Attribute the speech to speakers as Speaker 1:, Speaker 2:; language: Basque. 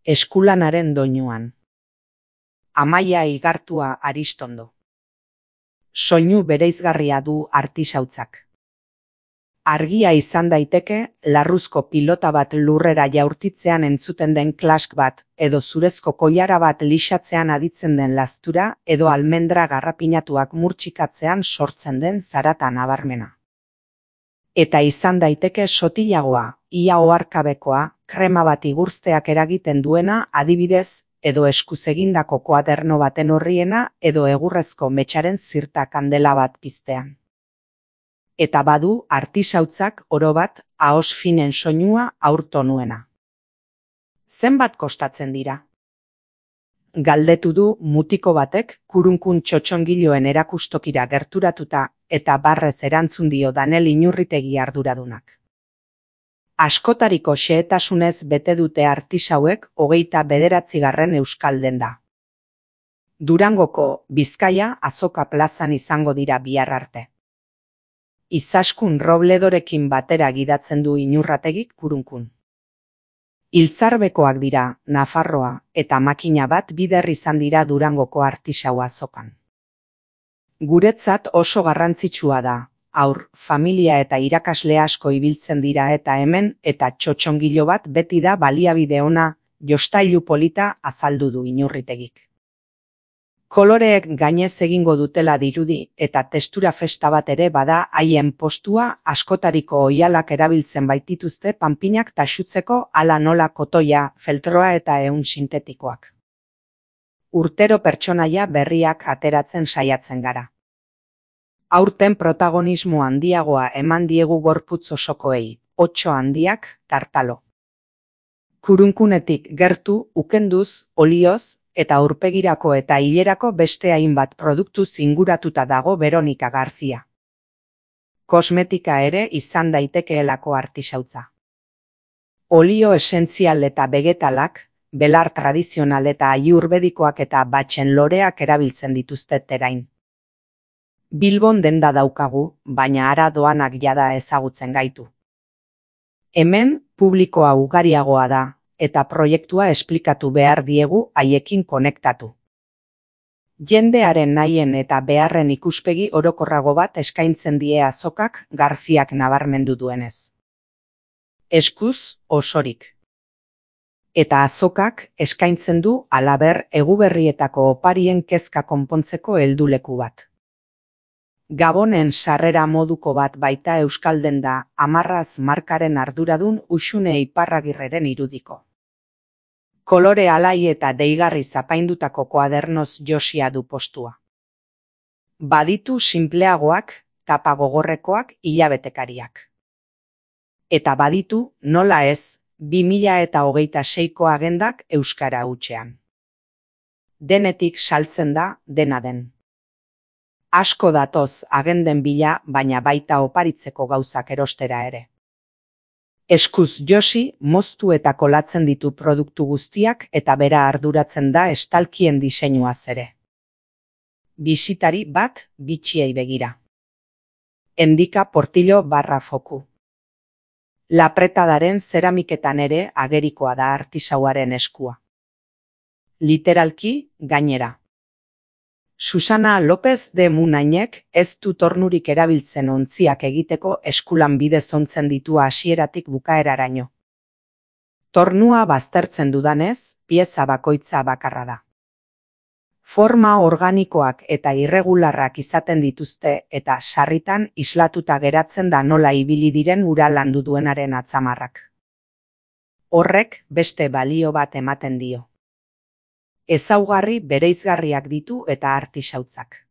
Speaker 1: Eskulanaren doinuan. Amaia Igartua Aristondo. Soinu bereizgarria du artisautzak. Argia izan daiteke, larruzko pilota bat lurrera jaurtitzean entzuten den klask bat, edo zurezko koilara bat lixatzean aditzen den lastura, edo almendra garrapinatuak murtxikatzean sortzen den zarata nabarmena. Eta izan daiteke sotilagoa, ia oharkabekoa, krema bat igurzteak eragiten duena, adibidez, edo eskuz egindako koaderno baten horriena, edo egurrezko metxaren zirta kandela bat piztean. Eta badu artisautzak orobat ahos finen soinua aurtonuena. Zenbat kostatzen dira? Galdetu du mutiko batek kurunkun txotxongiloen erakustokira gerturatuta eta barrez erantzun dio Danel Inurritegi arduradunak. Askotariko xehetasunez bete dute artisauek 29. euskal denda. Durangoko Bizkaia Azoka plazan izango dira bihar arte. Izaskun Robledorekin batera gidatzen du Inurrategik kurunkun. Hiltzarbekoak dira, Nafarroa, eta makina bat bider izan dira Durangoko artisau azokan. Guretzat oso garrantzitsua da, haur, familia eta irakasle asko ibiltzen dira eta hemen, eta txotxongilo bat beti da baliabide ona, jostailu polita azaldu du Inurritegik. Koloreek gainez egingo dutela dirudi eta testura festa bat ere bada haien postua askotariko oihalak erabiltzen baitituzte panpinak taxutzeko hala nola kotoia, feltroa eta ehun sintetikoak. Urtero pertsonaia berriak ateratzen saiatzen gara. Aurten protagonismo handiagoa eman diegu gorputz osokoei, otso handiak, tartalo. Kurunkunetik gertu, ukenduz, olioz, eta aurpegirako eta hilerako beste hainbat produktuz inguratuta dago Veronika Garzia. Kosmetika ere izan daitekeelako artisautza. Olio esentzial eta vegetalak, belar tradizional eta aiurbedikoak eta batxen loreak erabiltzen dituzte terain. Bilbon denda daukagu, baina hara doanak jada ezagutzen gaitu. Hemen publikoa ugariagoa da, eta proiektua esplikatu behar diegu haiekin konektatu. Jendearen nahien eta beharren ikuspegi orokorrago bat eskaintzen die azokak Garziak nabarmendu duenez. Eskuz osorik. Eta azokak eskaintzen du halaber eguberrietako oparien kezka konpontzeko helduleku bat. Gabonen sarrera moduko bat baita euskalden da Amarraz markaren arduradun Uxune Iparragirreren irudiko. Kolore alai eta deigarri zapaindutako koadernoz josia du postua. Baditu sinpleagoak, tapa gogorrekoak hilabetekariak. Eta baditu, nola ez, 2026ko agendak euskara hutsean. Denetik saltzen da, dena den. Asko datoz agenden bila, baina baita oparitzeko gauzak erostera ere. Eskuz josi, moztu eta kolatzen ditu produktu guztiak eta bera arduratzen da estalkien diseinuaz ere. Bisitari bat bitxiei begira. Endika Portillo /foku. Lapretadaren zeramiketan ere agerikoa da artisauaren eskua. Literalki, gainera. Susana López de Munainek ez du tornurik erabiltzen ontziak egiteko eskulan bidez ontzen ditu hasieratik bukaeraraino. Tornua baztertzen dudanez, pieza bakoitza bakarra da. Forma organikoak eta irregularrak izaten dituzte eta sarritan islatuta geratzen da nola ibili diren ura landu duenaren atzamarrak. Horrek beste balio bat ematen dio. Ezaugarri bereizgarriak ditu eta artisautzak.